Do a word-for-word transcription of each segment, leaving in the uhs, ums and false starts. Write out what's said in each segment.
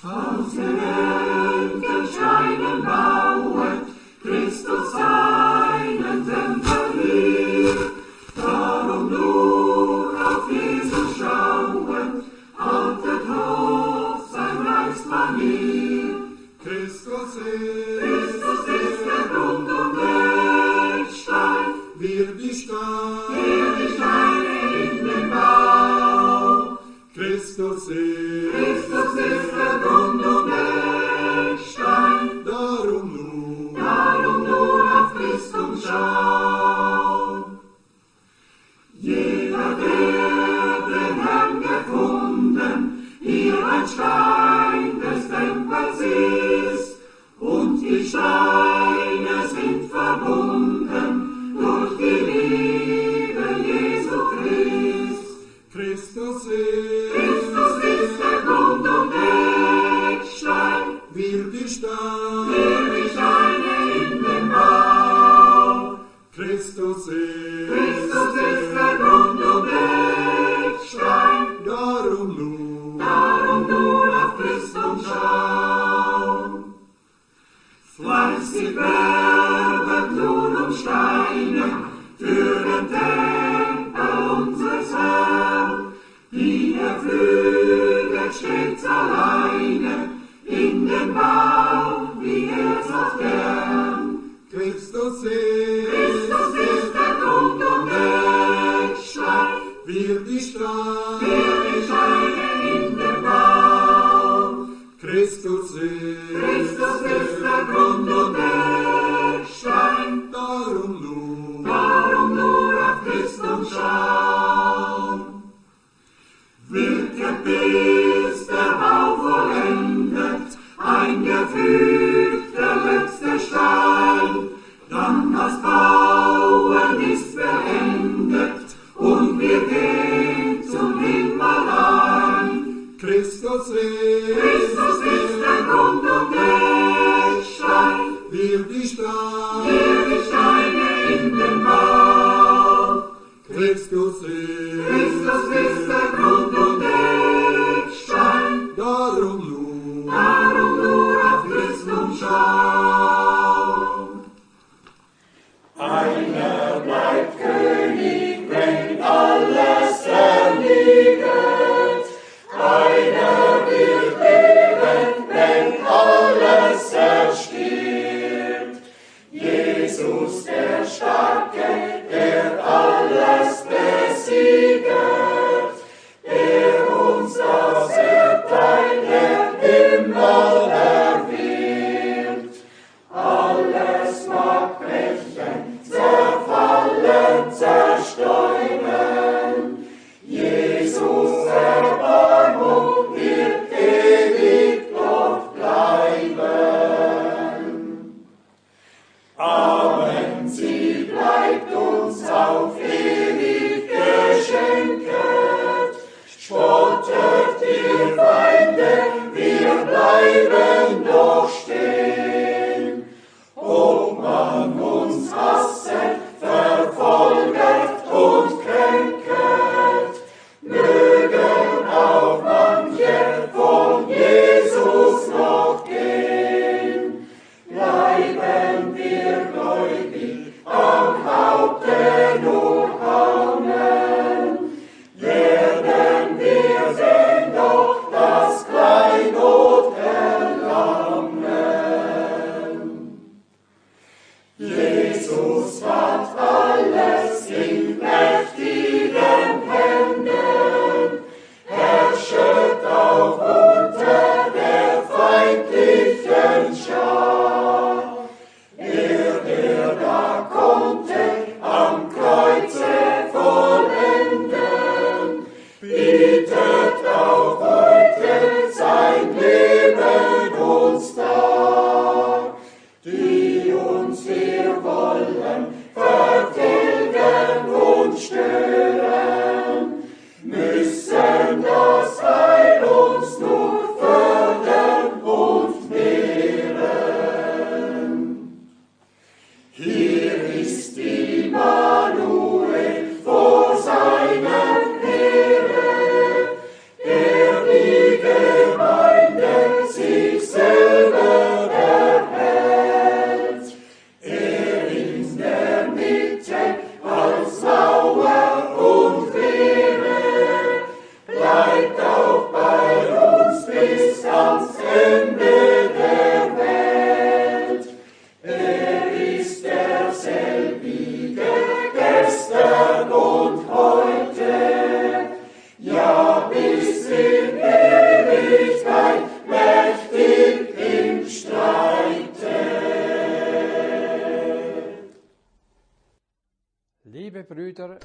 Aus der Welt erscheinen bauet, Christus seinen Tempel hier. Darum nur auf Jesus schauen, haltet hoch sein Reichsmanier. Christus ist, Christus ist der Grund und Eckstein, wir die Steine, wir die Steine in den Bau. Christus ist, Christus ist der Grund und Eckstein, darum nur, darum nur auf Christus schauen. Jeder, der den Herrn gefunden, hier ein Stein des Tempels ist, und die Steine sind verbunden durch die Liebe Jesu Christ. Christus ist, Christus ist der Grund und Eckstein, wir die Steine, wir die Steine in den Bau. Christus ist, Christus ist der Grund und Eckstein, darum nur, darum nur auf Christus schauen. Fleißig werdet nun um Steine für den Tempel unseres Herrn, die er pflüget stets alleine in den Bau, wie er so gern. Christus ist, Christus ist der Grund und Eckstein, wir die Steine, wir die Steine in den Bau. Christus ist, Christus ist der Grund und Eckstein, darum nur, darum nur auf Christus schauen. Wirket bis der Bau vollendet, eingefügt der letzte Stein, dann das Bauen ist beendet und wir gehen zum Himmel ein. Christus ist, Christus ist der Grund und Eckstein, wir die Steine, wir die Steine in den Bau. Christus ist, Christus ist der Grund und Eckstein, darum nur, darum nur auf Christus schauen. Einer bleibt König, wenn alles erliegt. Einer wird leben, wenn alles erstirbt. Jesus der Starke, der alles besieget, der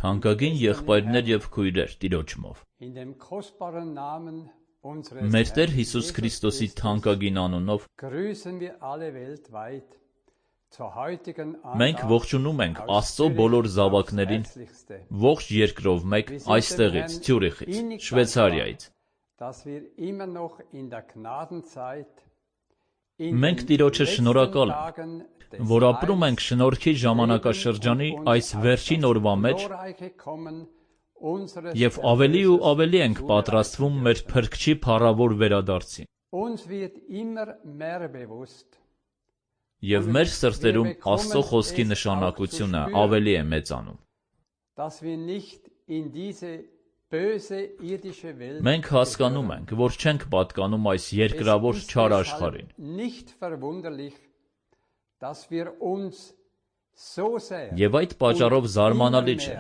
Թանկագին եղբայրներ եւ քույրեր Տիրոջմով։ Մեր Տեր Հիսուս Քրիստոսի թանկագին անունով մենք ողջունում ենք Աստծո բոլոր զավակներին ողջ երկրով մեկ այստեղից, Ցյուրիխից, Շվեյցարիայից։ Մենք Տիրոջը շնորհակալ ենք, որ ապրում ենք շնորհքի ժամանակաշրջանի այս վերջին օրվա մեջ եւ ավելի ու ավելի ենք պատրաստվում մեր Փրկչի փառավոր վերադարձին։ Եվ մեր սրտերում Աստծո խոսքի նշանակությունը ավելի է մեծանում։ Մենք հասկանում ենք, որ չենք պատկանում այս երկրավոր չար աշխարհին։ Եվ այդ պատճառով զարմանալի չէ,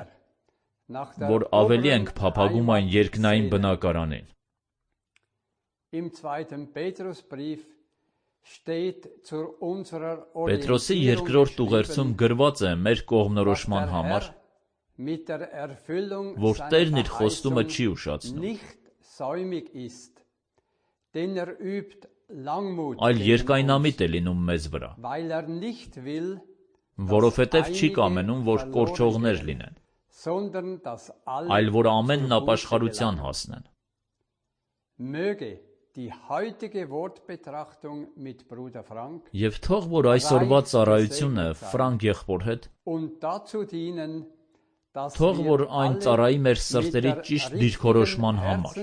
որ ավելի ենք փափագում այն երկնային բնակարանին։ Պետրոսի երկրորդ ուղերձում գրված է մեր կողմնորոշման համար, որ Տերն իր խոստումը չի ուշացնում, այլ երկայնամիտ է լինում մեզ վրա, որովհետև չի կամենում, որ կորչողներ լինեն, այլ որ ամենն ապաշխարության հասնեն։ Եվ թող որ այսօրվա ծառայությունը Ֆրանկ եղբոր հետ, թող որ այն ծառայի մեր սրտերի ճիշտ դիրքորոշման համար,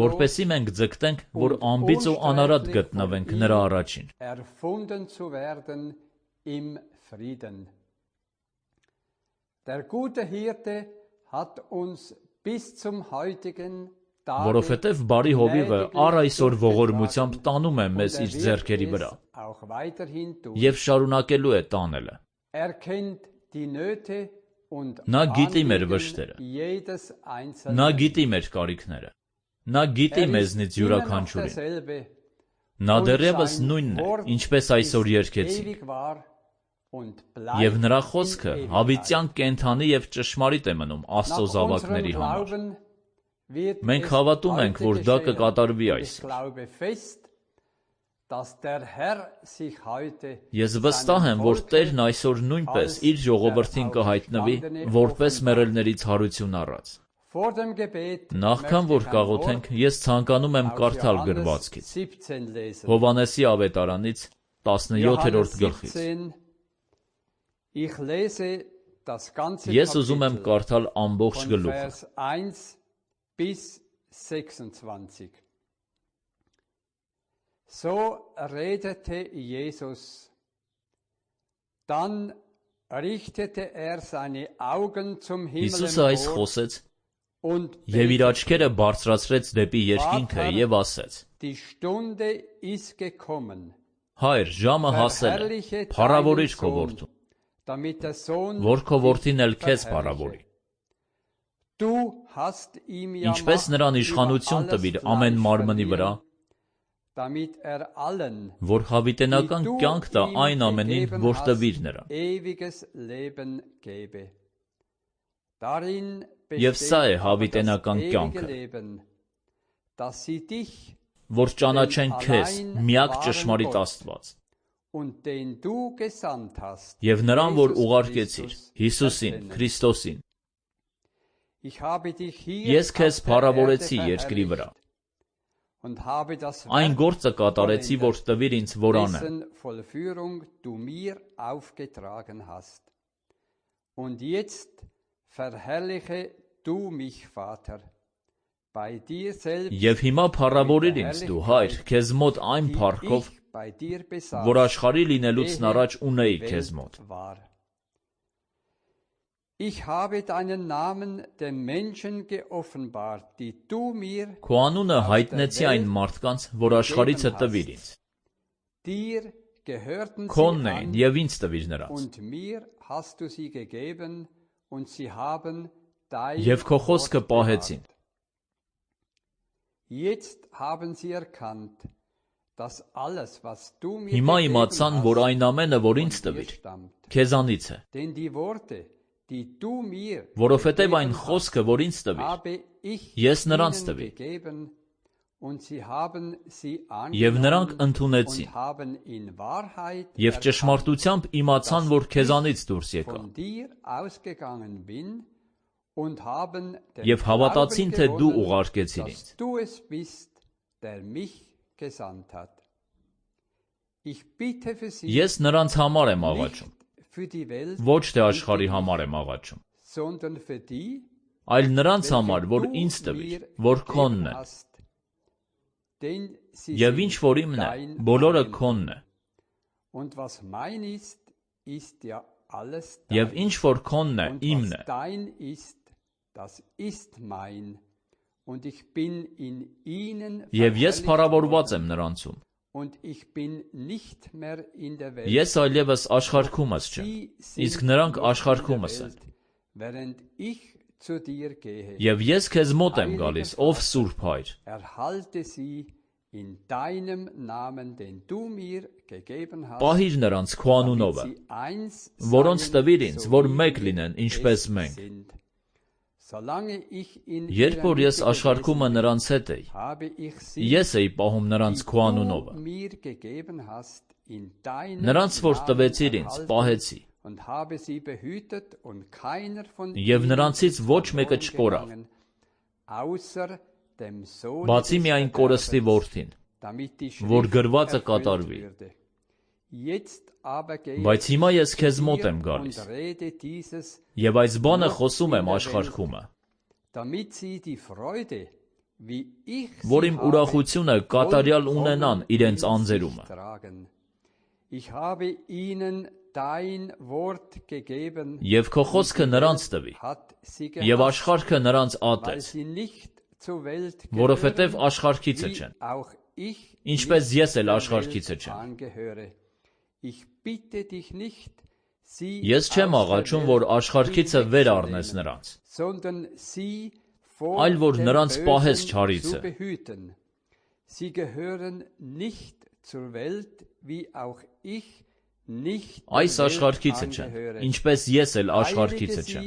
որպեսզի մենք ձգտենք, որ անբիծ ու անարատ գտնվենք նրա առաջին։ Որովհետև բարի հովիվը առ այսօր ողորմությամբ տանում է մեզ իր ձեռքերի վրա և շարունակելու է տանելը։ Նա գիտի մեր վշտերը, նա գիտի մեր կարիքները, նա գիտի մեզնից յուրաքանչյուրին։ Նա դեռևս նույնն է, ինչպես այսօր երգեցինք, և նրա խոսքը հավիտյան կենդանի և ճշմարիտ է մնում Աստծո զավակների համար։ Մենք հավատում ենք, որ դա կկատարվի այսօր։ Ես վստահ եմ, որ Տերն այսօր նույնպես իր ժողովրդին կհայտնվի, որպես մեռելներից հարություն առած։ Նախքան որ կաղոթենք, ես ցանկանում եմ կարդալ գրվածքից, Հովհաննեսի ավետարանից տասնյոթերորդ գլխից։ Ես ուզում եմ կարդալ ամբողջ գլուխը։ So redete Jesus. Dann richtete er seine Augen zum Himmel Հիսուսը այս խոսեց և իր աչքերը բարձրացրեց դեպի երկինքը և ասեց. Հայր, ժամը հասել է, փառավորիր քո որդուն, որ քո որդին էլ քեզ փառավորի։ Ինչպես նրան իշխանություն տվիր ամեն մարմնի վրա, որ հավիտենական կյանք տա այն ամենին, որ տվիր նրան։ Եվ սա է հավիտենական կյանքը, որ ճանաչեն քեզ, միակ ճշմարիտ Աստված, և նրան, որ ուղարկեցիր, Հիսուսին, Քրիստոսին։ Ես քեզ փառավորեցի երկրի վրա, այն գործը կատարեցի, որ տվիր ինձ, որ անեմ։ Եվ հիմա փառավորիր ինձ դու, Հայր, քեզ մոտ այն փառքով, որ աշխարհի լինելուց առաջ ունեի քեզ մոտ։ Քո անունը հայտնեցի այն մարդկանց, որ աշխարհիցը տվիր ինձ։ Քոնն էին և ինձ տվիր նրանց։ Եվ քո խոսքը պահեցին։ Հիմա իմացան, որ այն ամենը, որ ինձ տվիր, քեզանից է, որովհետև այն խոսքը, որ ինձ տվիր, ես նրանց տվի, և նրանք ընդունեցին, և ճշմարտությամբ իմացան, որ քեզանից դուրս եկա, և հավատացին, թե դու ուղարկեցիր ինձ։ Ես նրանց համար եմ աղաչում, ոչ թե աշխարհի համար եմ աղաչում, այլ նրանց համար, որ ինձ տվիր, որ քոնն են, և ինչ որ իմն է, բոլորը քոնն է, և ինչ որ քոնն է, իմն է, և ես փառավորված եմ նրանցում, ես այլևս աշխարհքումս չեմ, իսկ նրանք աշխարհքումս են, և ես քեզ մոտ եմ գալիս, ով Սուրբ Հայր, պահիր նրանց քո անունովը, որոնց տվիր ինձ, որ մեկ լինեն, ինչպես մենք։ Երբ որ ես աշխարհքումը նրանց հետ էի, ես էի պահում նրանց քո անունովը, նրանց, որ տվեցիր ինձ, պահեցի, և նրանցից ոչ մեկը չկորավ, բացի միայն կորստի որդին, որ գրվածը կատարվի։ Բայց հիմա ես քեզ մոտ եմ գալիս, և այս բանը խոսում եմ աշխարհքումը, որ իմ ուրախությունը կատարյալ ունենան իրենց անձերումը։ Եվ քո խոսքը նրանց տվի, և աշխարհքը նրանց ատեց, որովհետև աշխարհքիցը չեն, ինչպես ես էլ աշխարհքիցը չեմ։ Ես չեմ աղաչում, որ աշխարհքիցը վեր առնես նրանց, այլ որ նրանց պահես չարիցը։ Այս աշխարհքիցը չեն, ինչպես ես էլ աշխարհքիցը չեմ։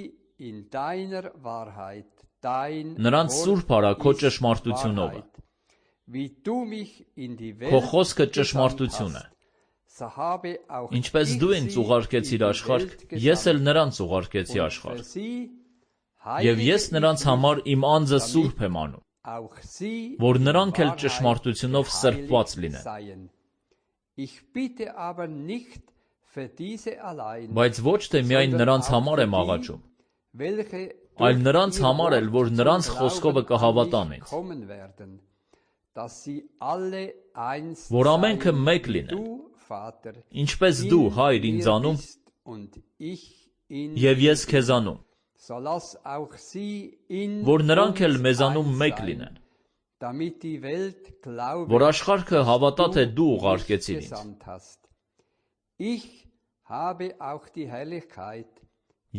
Նրանց սուրբ արա քո ճշմարտությունովը, քո խոսքը ճշմարտություն է։ Ինչպես դու ինձ ուղարկեցիր աշխարհ, ես էլ նրանց ուղարկեցի աշխարհ, և ես նրանց համար իմ անձը սուրբ եմ անում, որ նրանք էլ ճշմարտությունով սրբված լինեն։ Բայց ոչ թե միայն նրանց համար եմ աղաչում, այլ նրանց համար էլ, որ նրանց խոսքովը կհավատան ինձ, որ ամենքը մեկ լինեն, ինչպես դու, Հայր, ինձանում, և ես քեզանում, որ նրանք էլ մեզանում մեկ լինեն, որ աշխարհքը հավատա, թե դու ուղարկեցիր ինձ։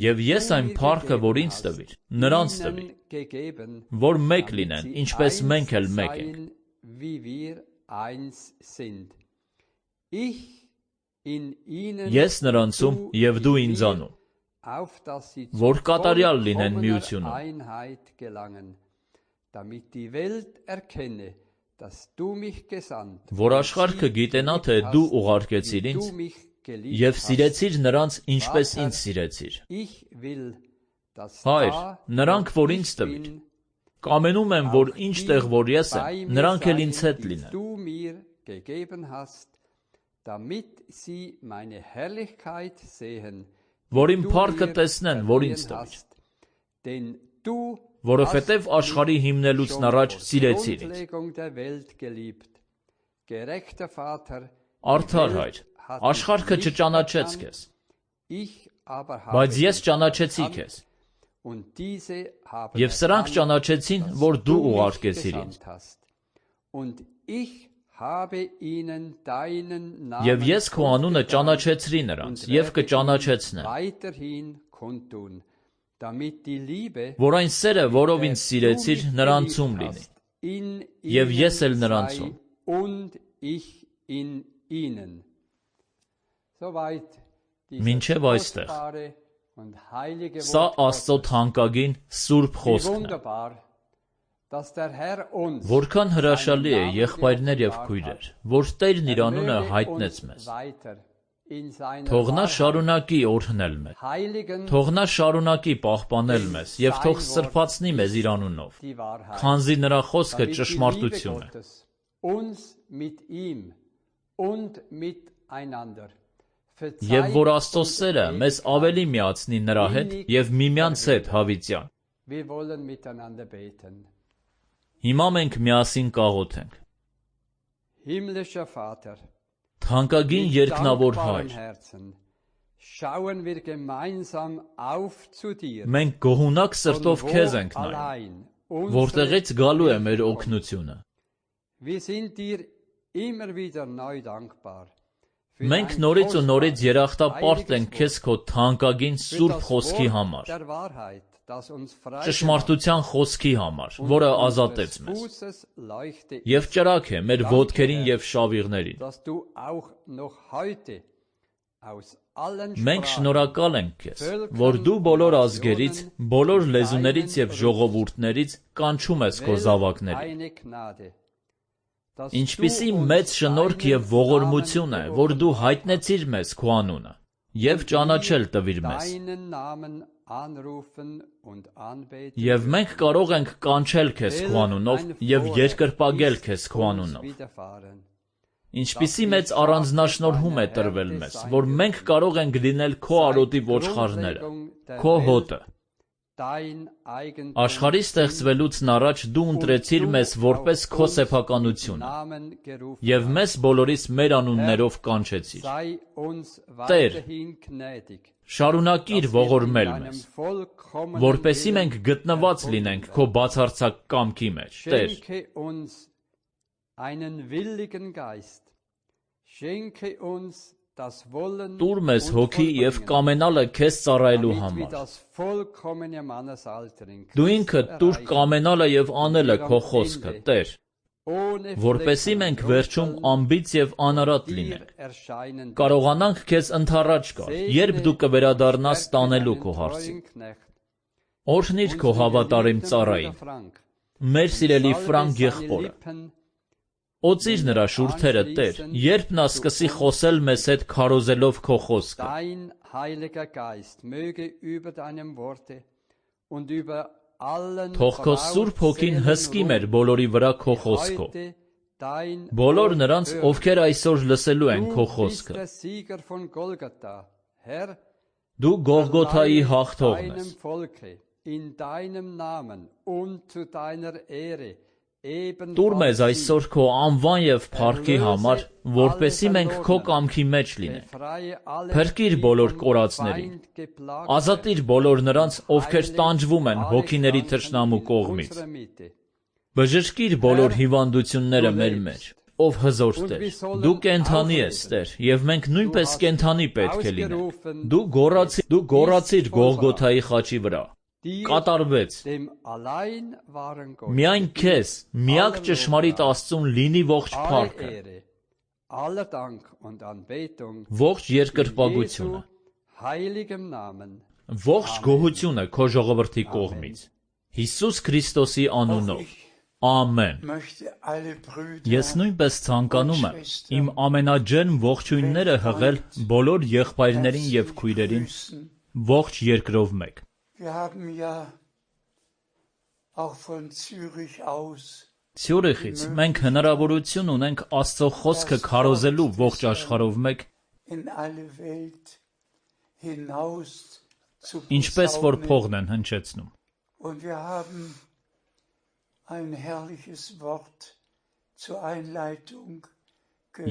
Եվ ես այն փառքը, որ ինձ տվիր, նրանց տվի, որ մեկ լինեն, ինչպես մենք էլ մեկ ենք։ Ես նրանցում և դու ինձանում, որ կատարյալ լինեն միությունում, որ աշխարհքը գիտենա, թե դու ուղարկեցիր ինձ, և սիրեցիր նրանց, ինչպես ինձ սիրեցիր։ Հայր, նրանք, որ ինձ տվիր, կամենում եմ, որ ինչ տեղ, որ ես եմ, նրանք էլ ինձ հետ լինեն, որ իմ փառքը տեսնեն, որ ինձ տվիր, որովհետև աշխարհի հիմնելուց առաջ սիրեցիր ինձ։ Արդար Հայր, աշխարհքը չճանաչեց քեզ, բայց ես ճանաչեցի քեզ, և սրանք ճանաչեցին, որ դու ուղարկեցիր ինձ։ Եվ ես քո անունը ճանաչեցրի նրանց և կճանաչեցնեմ, որ այն սերը, որով ինձ սիրեցիր, նրանցում լինի, և ես էլ նրանցում, in ihnen. Soweit Մինչև այստեղ։ Սա Աստծո թանկագին սուրբ խոսքն է։ Որքան հրաշալի է, եղբայրներ եւ քույրեր, որ Տերն իր անունը հայտնեց մեզ։ Թող նա շարունակի օրհնել մեզ։ Թող նա շարունակի պահպանել մեզ եւ թող սրբացնի մեզ իր անունով, քանզի նրա խոսքը ճշմարտություն է։ Եվ որ Աստծո սերը մեզ ավելի միացնի նրա հետ եւ միմյանց հետ հավիտյան։ Հիմա մենք միասին կաղոթենք։ Թանկագին երկնավոր Հայր, մենք գոհունակ սրտով քեզ ենք նայում, որտեղից գալու է մեր օգնությունը։ Մենք նորից ու նորից երախտապարտ ենք քեզ քո թանկագին սուրբ խոսքի համար, ճշմարտության խոսքի համար, որը ազատեց մեզ, եւ ճրագ է մեր ոտքերին եւ շավիղներին։ Մենք շնորհակալ ենք քեզ, որ դու բոլոր ազգերից, բոլոր լեզուներից եւ ժողովուրդներից կանչում ես քո զավակներին։ Ինչպիսի մեծ շնորհք եւ ողորմություն է, որ դու հայտնեցիր մեզ քո անունը եւ ճանաչել տվիր մեզ։ Եվ մենք կարող ենք կանչել քեզ քո անունով եւ երկրպագել քեզ քո անունով։ Ինչպիսի մեծ առանձնաշնորհում է տրվել մեզ, որ մենք կարող ենք լինել քո արոտի ոչխարները, քո հոտը։ Աշխարհի ստեղծվելուց առաջ դու ընտրեցիր մեզ որպես քո սեփականությունը եւ մեզ բոլորիս մեր անուններով կանչեցիր։ Տեր, շարունակիր ողորմել մեզ, որպեսզի մենք գտնված լինենք քո բացարձակ կամքի մեջ։ Տեր, տուր մեզ հոգի եւ կամենալը քեզ ծառայելու համար։ Դու ինքդ տուր կամենալը եւ անելը քո խոսքը, Տեր, որպեսզի մենք վերջում անբիծ եւ անարատ լինենք, կարողանանք քեզ ընդառաջ գալ, երբ դու կվերադառնաս տանելու քո հարցին։ Օրհնիր քո հավատարիմ ծառային, մեր սիրելի Ֆրանկ եղբորը։ Օծիր նրա շուրթերը, Տեր, երբ նա սկսի խոսել մեզ հետ քարոզելով քո խոսքը։ Թող քո Սուրբ Հոգին հսկի մեր բոլորի վրա քո խոսքով։ Բոլոր նրանց, ովքեր այսօր լսելու են քո խոսքը։ Դու Գողգոթայի հաղթողն ես։ Տուր մեզ այսօր քո անվան եւ փառքի համար, որպեսզի մենք քո կամքի մեջ լինենք։ Փրկիր բոլոր կորածներին։ Ազատիր բոլոր նրանց, ովքեր տանջվում են հոգիների թշնամու կողմից։ Բժշկիր բոլոր հիվանդությունները մեր մեջ, ով հզոր Տեր։ Դու կենդանի ես, Տեր, եւ մենք նույնպես կենդանի պետք է լինենք։ Դու գոռացիր, դու գոռացիր Գողգոթայի խաչի վրա։ Կատարվեց։ Միայն քեզ, միակ ճշմարիտ Աստծուն լինի ողջ փառքը, ողջ երկրպագությունը, ողջ գոհությունը քո ժողովրդի կողմից, Հիսուս Քրիստոսի անունով, ամեն։ Ես նույնպես ցանկանում եմ իմ ամենաջերմ ողջույնները հղել բոլոր եղբայրներին եւ քույրերին ողջ երկրով մեկ։ Ցյուրիխից մենք հնարավորություն ունենք Աստծո խոսքը քարոզելու ողջ աշխարհով մեկ, ինչպես որ փողն են հնչեցնում։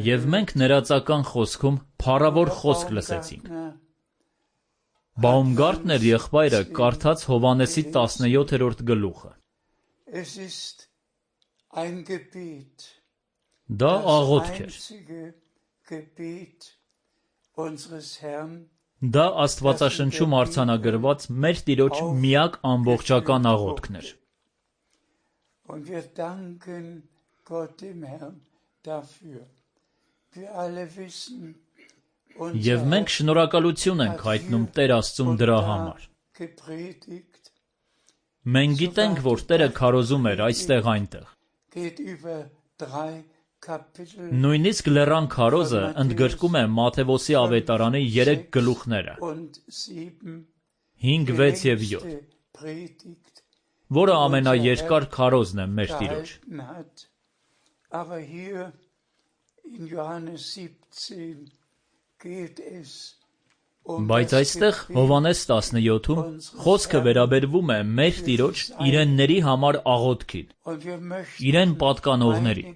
Եվ մենք ներածական խոսքում փառավոր խոսք լսեցինք։ Բաումգարտներ եղբայրը կարդաց Հովհաննեսի տասնյոթերորդ գլուխը։ Դա աղոթք էր։ Դա Աստվածաշնչում արձանագրված մեր Տիրոջ միակ ամբողջական աղոթքն էր։ Եվ մենք շնորհակալություն ենք հայտնում Տեր Աստծուն դրա համար։ Մենք գիտենք, որ Տերը քարոզում էր այստեղ այնտեղ։ Նույնիսկ լեռան քարոզը ընդգրկում է Մատթեոսի ավետարանի երեք գլուխները՝ հինգ, վեց և յոթ, որը ամենաերկար քարոզն է մեր Տիրոջ։ Բայց այստեղ Հովհաննես տասնյոթում խոսքը վերաբերվում է մեր Տիրոջ իրենների համար աղոթքին, իրեն պատկանողներին։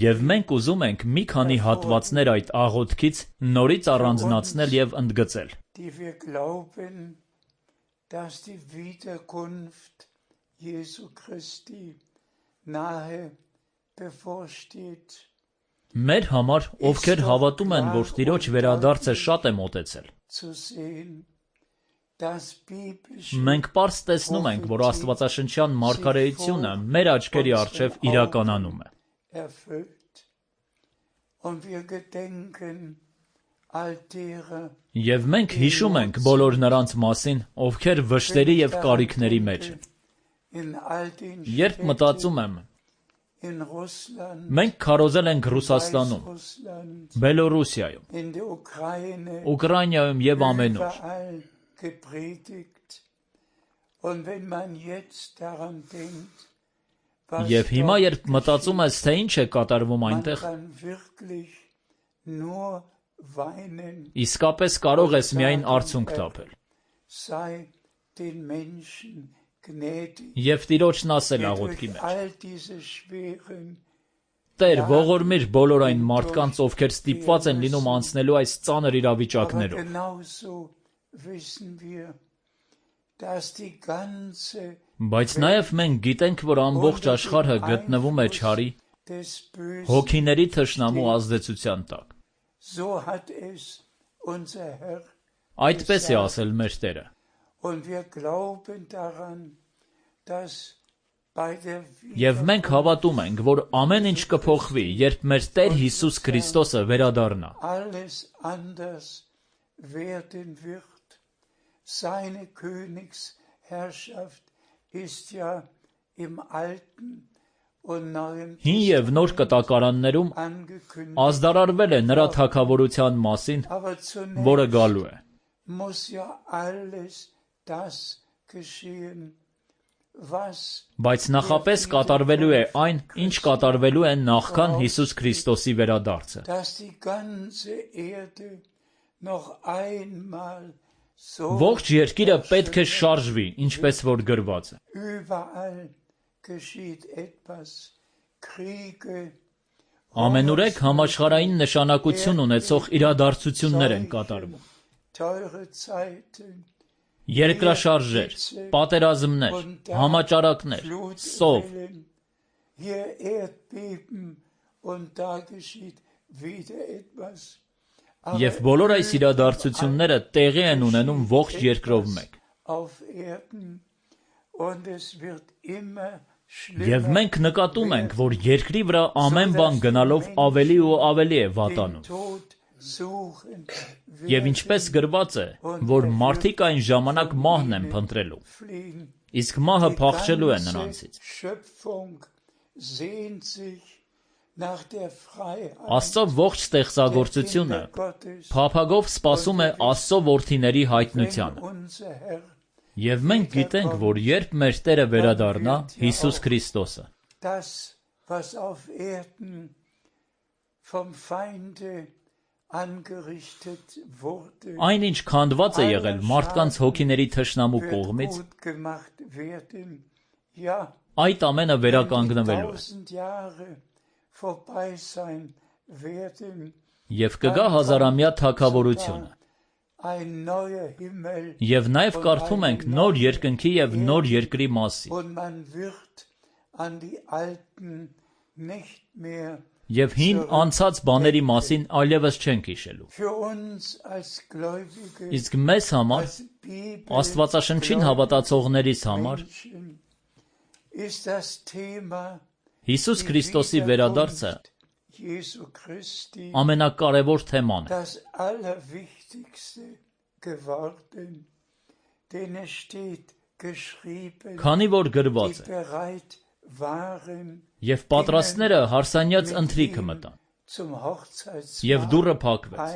Եվ մենք ուզում ենք մի քանի հատվածներ այդ աղոթքից նորից առանձնացնել և ընդգծել։ Մեր համար, ովքեր հավատում են, որ Տիրոջ վերադարձը շատ է մոտեցել, մենք պարզ տեսնում ենք, որ աստվածաշնչյան մարգարեությունը մեր աչքերի առջև իրականանում է։ Եվ մենք հիշում ենք բոլոր նրանց մասին, ովքեր վշտերի և կարիքների մեջ են։ Երբ մտածում եմ, մենք քարոզել ենք Ռուսաստանում, Բելոռուսիայում, Ուկրաինայում և ամենուր։ Եվ հիմա, երբ մտածում ես, թե ինչ է կատարվում այնտեղ, իսկապես կարող ես միայն արցունք թափել։ Եվ Տիրոջն ասել աղոթքի մեջ. Տեր, ողորմիր բոլոր այն մարդկանց, ովքեր ստիպված են լինում անցնելու այս ծանր իրավիճակներով։ Բայց նաև մենք գիտենք, որ ամբողջ աշխարհը գտնվում է չարի, հոգիների թշնամու ազդեցության տակ։ Այդպես է ասել մեր Տերը։ Եվ մենք հավատում ենք, որ ամեն ինչ կփոխվի, երբ մեր Տեր Հիսուս Քրիստոսը վերադառնա։ Հին և նոր կտակարաններում ազդարարվել է նրա թագավորության մասին, որը գալու է։ Բայց նախապես կատարվելու է այն, ինչ կատարվելու է նախքան Հիսուս Քրիստոսի վերադարձը։ Ողջ երկիրը պետք է շարժվի, ինչպես որ գրված է։ Ամենուրեք համաշխարհային նշանակություն ունեցող իրադարձություններ են կատարվում։ Երկրաշարժեր, պատերազմներ, համաճարակներ, սով։ Եվ բոլոր այս իրադարձությունները տեղի են ունենում ողջ երկրով մեկ։ Եվ մենք նկատում ենք, որ երկրի վրա ամեն բան գնալով ավելի ու ավելի է վատանում։ Եվ ինչպես գրված է, որ մարդիկ այն ժամանակ մահն են փնտրելու, իսկ մահը փախչելու է նրանցից։ Աստծո ողջ ստեղծագործությունը փափագով սպասում է Աստծո որդիների հայտնությանը։ Եվ մենք գիտենք, որ երբ մեր Տերը վերադառնա, Հիսուս Քրիստոսը, այն, ինչ քանդված է եղել մարդկանց հոգիների թշնամու կողմից, այդ ամենը վերականգնվելու է։ Եվ կգա հազարամյա թագավորությունը։ Եվ նաև կարդում ենք նոր երկնքի և նոր երկրի մասին։ Եվ հին անցած բաների մասին այլևս չենք հիշելու։ Իսկ մեզ համար, Աստվածաշնչին հավատացողներիս համար, Հիսուս Քրիստոսի վերադարձը ամենակարևոր թեման է։ Քանի որ գրված է. «Եվ պատրաստները հարսանյաց ընթրիքը մտան, և դուռը փակվեց»։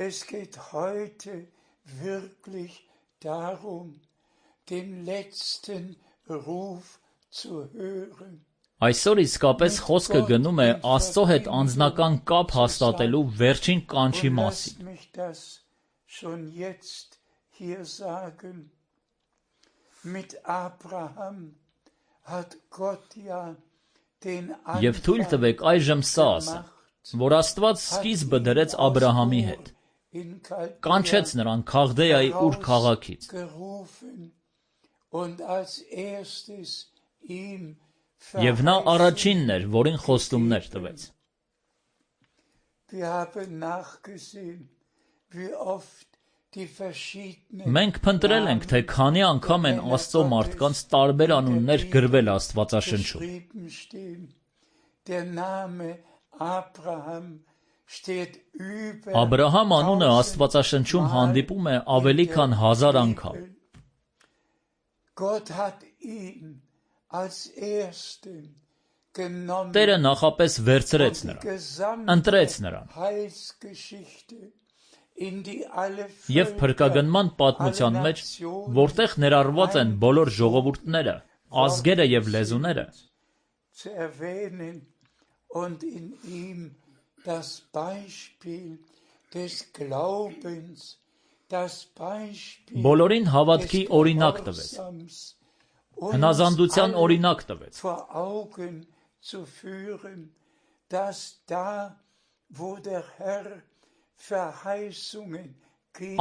Es geht heute wirklich darum, den letzten Ruf zu hören. Այսօր իսկապես խոսքը գնում է Աստծո հետ անձնական կապ հաստատելու վերջին կանչի մասին։ Եվ թույլ տվեք այժմ սա ասեմ, որ Աստված սկիզբը դրեց Աբրահամի հետ, կանչեց նրան Քաղդեայի Ուր քաղաքից։ Եվ նա առաջինն էր, որին խոստումներ տվեց։ Մենք փնտրել ենք, թե քանի անգամ են Աստծո մարդկանց տարբեր անուններ գրվել Աստվածաշնչում։ Աբրահամ անունը Աստվածաշնչում հանդիպում է ավելի քան հազար անգամ։ Տերը նախապես վերցրեց նրան, ընտրեց նրան և փրկագնման պատմության մեջ, որտեղ ներառված են բոլոր ժողովուրդները, ազգերը և լեզուները, բոլորին հավատքի օրինակ տվեց, հնազանդության օրինակ տվեց։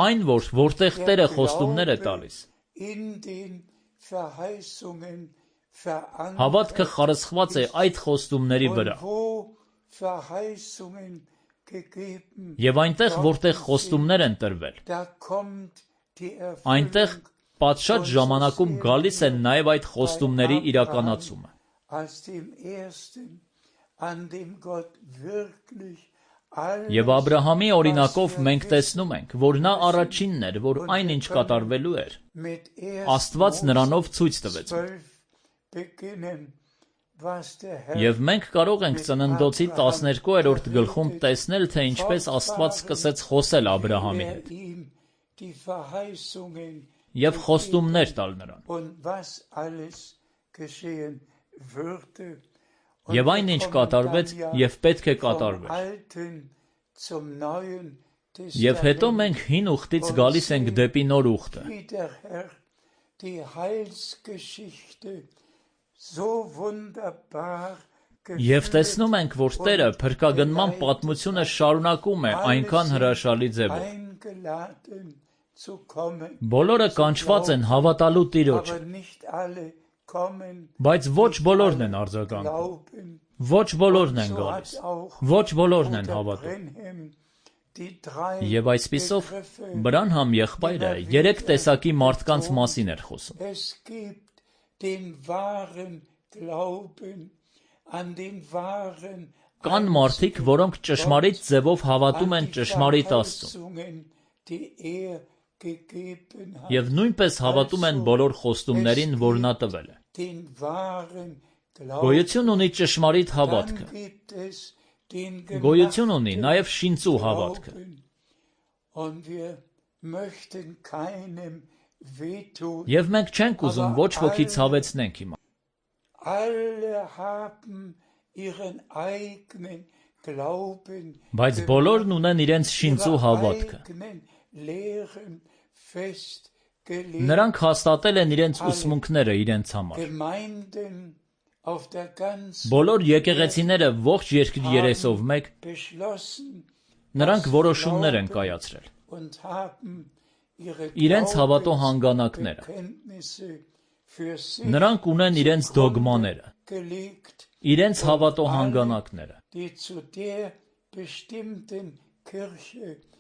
Այն, որ որտեղ Տերը խոստումներ է տալիս, հավատքը խարսխված է այդ խոստումների վրա։ Եվ այնտեղ, որտեղ խոստումներ են տրվել, այնտեղ պատշաճ ժամանակում գալիս է նաև այդ խոստումների իրականացումը։ Եվ Աբրահամի օրինակով մենք տեսնում ենք, որ նա առաջինն էր, որ այն ինչ կատարվելու էր, Աստված նրանով ցույց տվեց։ Եվ մենք կարող ենք Ծննդոցի տասներկուերորդ գլխում տեսնել, թե ինչպես Աստված սկսեց խոսել Աբրահամի հետ և խոստումներ տալ նրան։ Եվ այն, ինչ կատարվեց և պետք է կատարվեր։ Եվ հետո մենք հին ուխտից գալիս ենք դեպի նոր ուխտը։ Եվ տեսնում ենք, որ Տերը փրկագնման պատմությունը շարունակում է այնքան հրաշալի ձևով։ Բոլորը կանչված են հավատալու Տիրոջը, բայց ոչ բոլորն են արձագանքում, ոչ բոլորն են գալիս, ոչ բոլորն են հավատում։ Եվ այսպիսով Բրանհամ եղբայրը երեք տեսակի մարդկանց մասին էր խոսում։ Կան մարդիկ, որոնք ճշմարիտ ձևով հավատում են ճշմարիտ Աստծուն և նույնպես հավատում են բոլոր խոստումներին, որ նա տվել է։ Գոյություն ունի ճշմարիտ հավատքը, գոյություն ունի նաև շինծու հավատքը։ Եվ մենք չենք ուզում ոչ ոքի ցավեցնենք հիմա։ Բայց բոլորն ունեն իրենց շինծու հավատքը։ Նրանք հաստատել են իրենց ուսմունքները իրենց համար։ Բոլոր եկեղեցիները ողջ երկրի երեսով մեկ, նրանք որոշումներ են կայացրել։ Իրենց հավատո հանգանակները։ Նրանք ունեն իրենց դոգմաները, իրենց հավատո հանգանակները։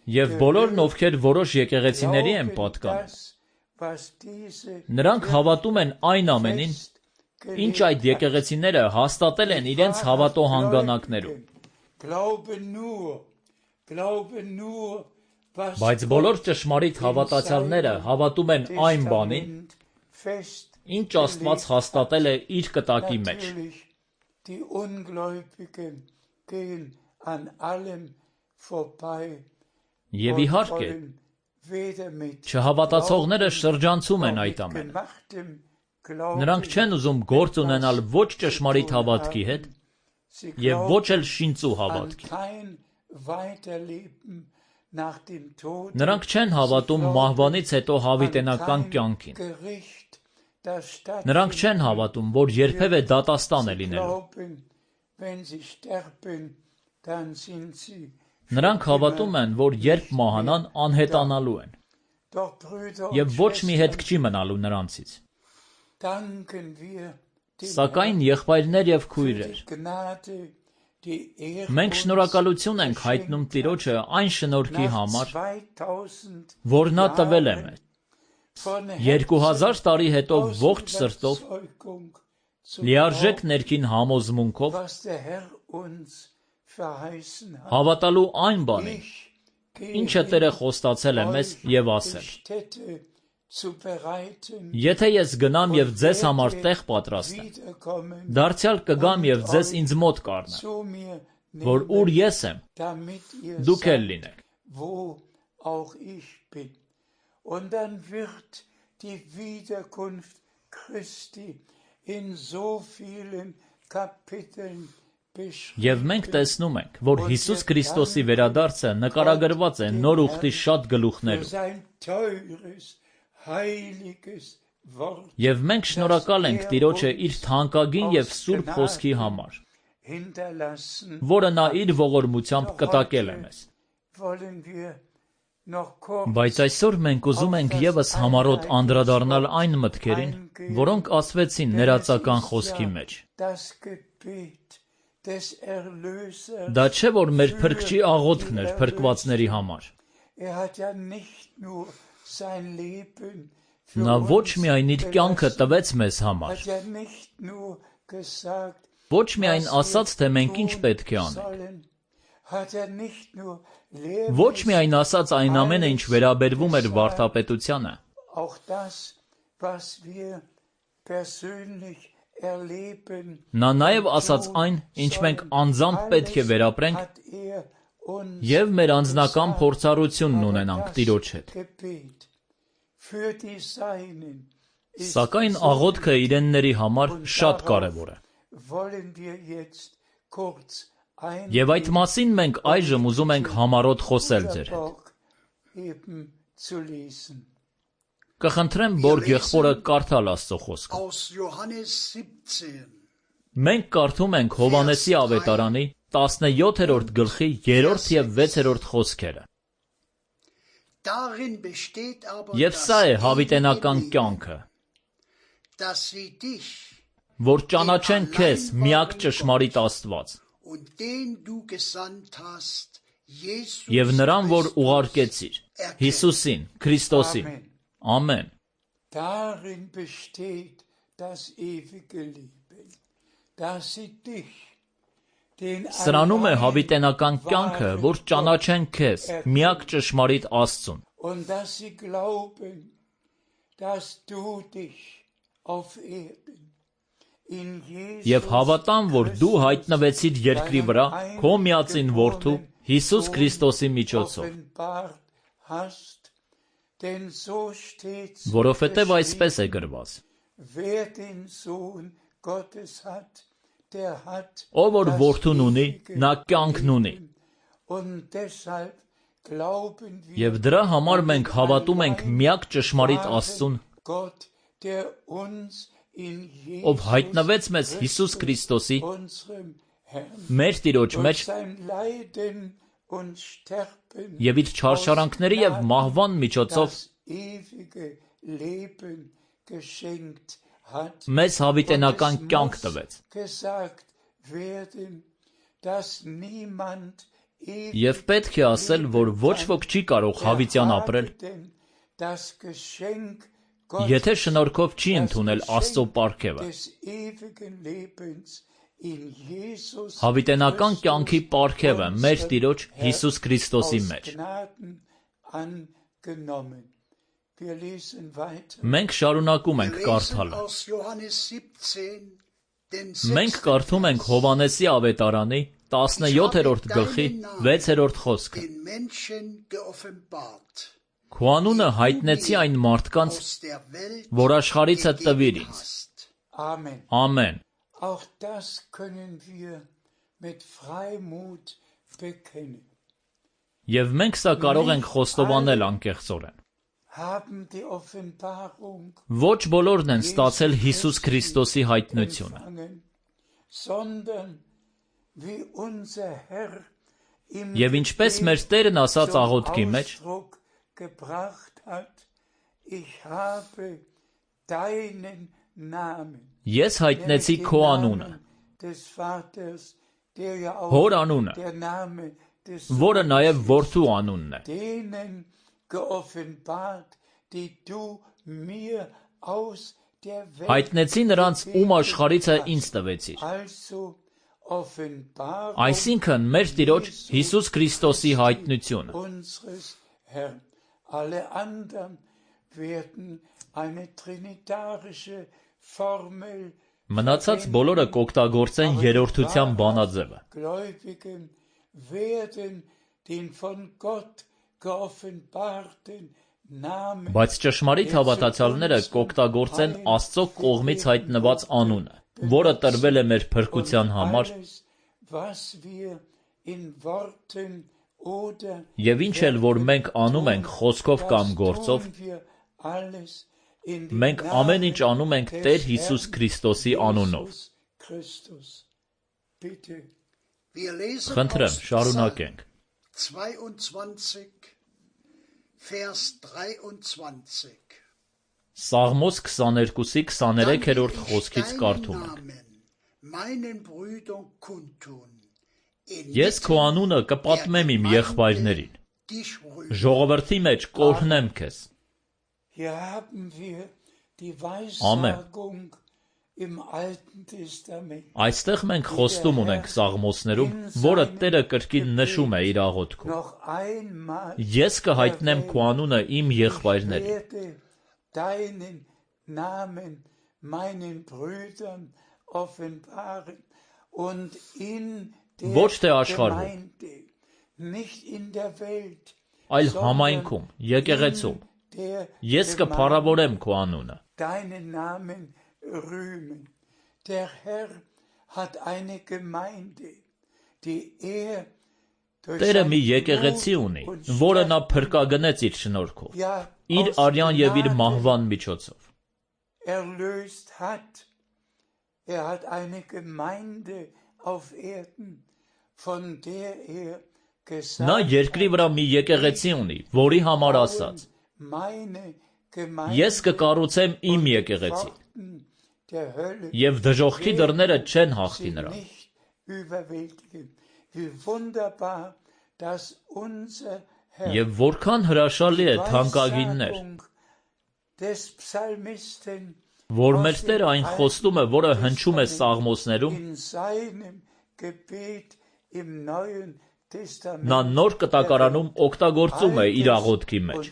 Եվ բոլորն, ովքեր որոշ եկեղեցիների են պատկանում, Նրանք հավատում են այն ամենին, ինչ այդ եկեղեցիները հաստատել են իրենց հավատո հանգանակներում։ Բայց բոլոր ճշմարիտ հավատացյալները հավատում են այն բանին, ինչ Աստված հաստատել է իր կտակի մեջ։ Եվ իհարկե, չհավատացողները շրջանցում են այդ ամենը։ Նրանք չեն ուզում գործ ունենալ ոչ ճշմարիտ հավատքի հետ և ոչ էլ շինծու հավատքի։ Նրանք չեն հավատում մահվանից հետո հավիտենական կյանքին։ Նրանք չեն հավատում, որ երբևէ դատաստան է լինելու։ Նրանք հավատում են, որ երբ մահանան, անհետանալու են, և ոչ մի հետք չի մնալու նրանցից։ Սակայն, եղբայրներ և քույրեր, մենք շնորհակալություն ենք հայտնում Տիրոջը այն շնորհքի համար, որ նա տվել է մեզ։ Երկու հազար տարի հետո ողջ սրտով, լիարժեք ներքին համոզմունքով հավատալու այն բանին, ինչը Տերը խոստացել է մեզ և ասել. Եթե ես գնամ և ձեզ համար տեղ պատրաստեմ, դարձյալ կգամ և ձեզ ինձ մոտ կառնեմ, որ ուր ես եմ, դուք էլ լինեք։ Եվ մենք տեսնում ենք, որ Հիսուս Քրիստոսի վերադարձը նկարագրված է Նոր Ուխտի շատ գլուխներում։ Եվ մենք շնորհակալ ենք Տիրոջը իր թանկագին և սուրբ խոսքի համար, որը նա իր ողորմությամբ կտակել է մեզ։ Բայց այսօր մենք ուզում ենք ևս համառոտ անդրադառնալ այն մտքերին, որոնք ասվեցին ներածական խոսքի մեջ։ Դա չէ, որ մեր Փրկչի աղոթքն էր փրկվածների համար։ Նա ոչ միայն իր կյանքը տվեց մեզ համար, ոչ միայն ասաց, թե մենք ինչ պետք է անենք, ոչ միայն ասաց այն ամենը, ինչ վերաբերվում էր վարդապետությանը, նա նաև ասաց այն, ինչ մենք անձամբ պետք է վերապրենք և մեր անձնական փորձառությունն ունենանք Տիրոջ հետ։ Սակայն աղոթքը իրենների համար շատ կարևոր է։ Եվ այդ մասին մենք այժմ ուզում ենք համառոտ խոսել ձեր հետ։ Կխնդրեմ Բորգ եղբորը կարդալ Աստծո խոսքը։ Մենք կարդում ենք Հովհաննեսի ավետարանի տասնյոթերորդ գլխի երրորդ և վեցերորդ խոսքերը։ Եվ սա է հավիտենական կյանքը, որ ճանաչեն քեզ միակ ճշմարիտ Աստված և նրան, որ ուղարկեցիր, Հիսուսին, Քրիստոսին։ Ամեն։ Սրանում է հավիտենական կյանքը, որ ճանաչեն քեզ, միակ ճշմարիտ Աստծուն։ Եվ հավատան, որ դու հայտնվեցիր երկրի վրա քո միածին Որդու Հիսուս Քրիստոսի միջոցով։ Որովհետև այսպես է գրված. Ով որ Որդուն ունի, նա կյանքն ունի։ Եվ դրա համար մենք հավատում ենք միակ ճշմարիտ Աստծուն, ով հայտնվեց մեզ Հիսուս Քրիստոսի, մեր Տիրոջ մեջ, և իր չարշարանքների և մահվան միջոցով մեզ հավիտենական կյանք տվեց։ Եվ պետք է ասել, որ ոչ ոք չի կարող հավիտյան ապրել, եթե շնորհքով չի ընդունել Աստծո պարգևը, հավիտենական կյանքի պարգևը մեր Տիրոջ Հիսուս Քրիստոսի մեջ։ Մենք շարունակում ենք կարդալը։ Մենք կարդում ենք Հովհաննեսի ավետարանի տասնյոթերորդ գլխի վեցերորդ խոսքը։ Քո անունը հայտնեցի այն մարդկանց, որ աշխարհիցը տվիր ինձ։ Ամեն։ Եվ մենք սա կարող ենք խոստովանել անկեղծորեն։ Ոչ բոլորն են ստացել Հիսուս Քրիստոսի հայտնությունը։ Եվ ինչպես մեր Տերն ասաց աղոթքի մեջ, ես հայտնեցի քո անունը, հոր անունը, որը նաև որդու անունն է։ Հայտնեցի նրանց, ում աշխարհիցը ինձ տվեցիր։ Այսինքն մեր Տիրոջ Հիսուս Քրիստոսի հայտնությունը։ Մնացած բոլորը կօգտագործեն երրորդության բանաձևը։ Բայց ճշմարիտ հավատացյալները կօգտագործեն Աստծո կողմից հայտնված անունը, որը տրվել է մեր փրկության համար, եւ ինչ էլ որ մենք անում ենք խոսքով կամ գործով, մենք ամեն ինչ անում ենք Տեր Հիսուս Քրիստոսի անունով։ Խնդրեմ, շարունակենք։ Սաղմոս քսաներկուսի քսաներեքերորդ խոսքից կարդում ենք. Ես քո անունը կպատմեմ իմ եղբայրներին, ժողովրդի մեջ կօրհնեմ քեզ։ Ամեն։ Այստեղ մենք խոստում ունենք Սաղմոսներում, որը Տերը կրկին նշում է իր աղոթքում։ Ես կհայտնեմ քո անունը իմ եղբայրներին։ Ոչ թե աշխարհում, այլ համայնքում, եկեղեցում, ես կփառավորեմ քո անունը։ Տերը մի եկեղեցի ունի, որը նա փրկագնեց իր շնորհքով, իր արյան և իր մահվան միջոցով։ Նա երկրի վրա մի եկեղեցի ունի, որի համար ասաց. ես կկառուցեմ իմ եկեղեցին, և դժոխքի դռները չեն հաղթի նրան։ Եվ որքան հրաշալի է, թանկագիններ, որ մեր Տերը այն խոստումը, որը հնչում է Սաղմոսներում, նա նոր կտակարանում օգտագործում է իր աղոթքի մեջ։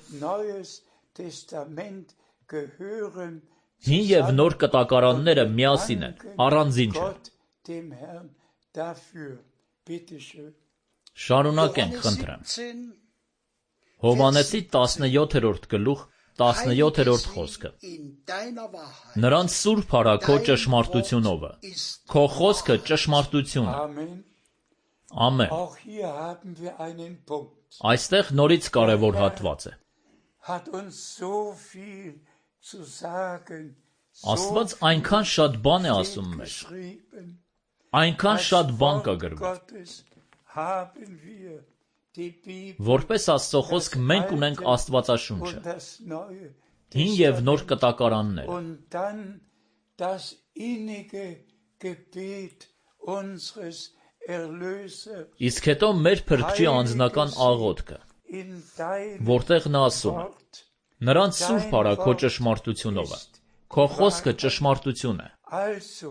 Հին և նոր կտակարանները միասին են, առանձին չեն։ Շարունակենք, խնդրեմ։ Հովհաննեսի տասնյոթերորդ գլուխ, տասնյոթերորդ խոսքը։ Նրանց սուրբ արա քո ճշմարտությունով, քո խոսքը ճշմարտություն է։ Ամեն։ Այստեղ նորից կարևոր հատված է։ Աստված այնքան շատ բան է ասում մեզ, այնքան շատ բան կա գրված։ Որպես Աստծո խոսք մենք ունենք Աստվածաշունչը, հին և նոր կտակարանները։ Իսկ հետո մեր Փրկչի անձնական աղոթքը, որտեղ նա ասում է. Նրանց սուրբ արա քո ճշմարտությունով, քո խոսքը ճշմարտություն է։ Also,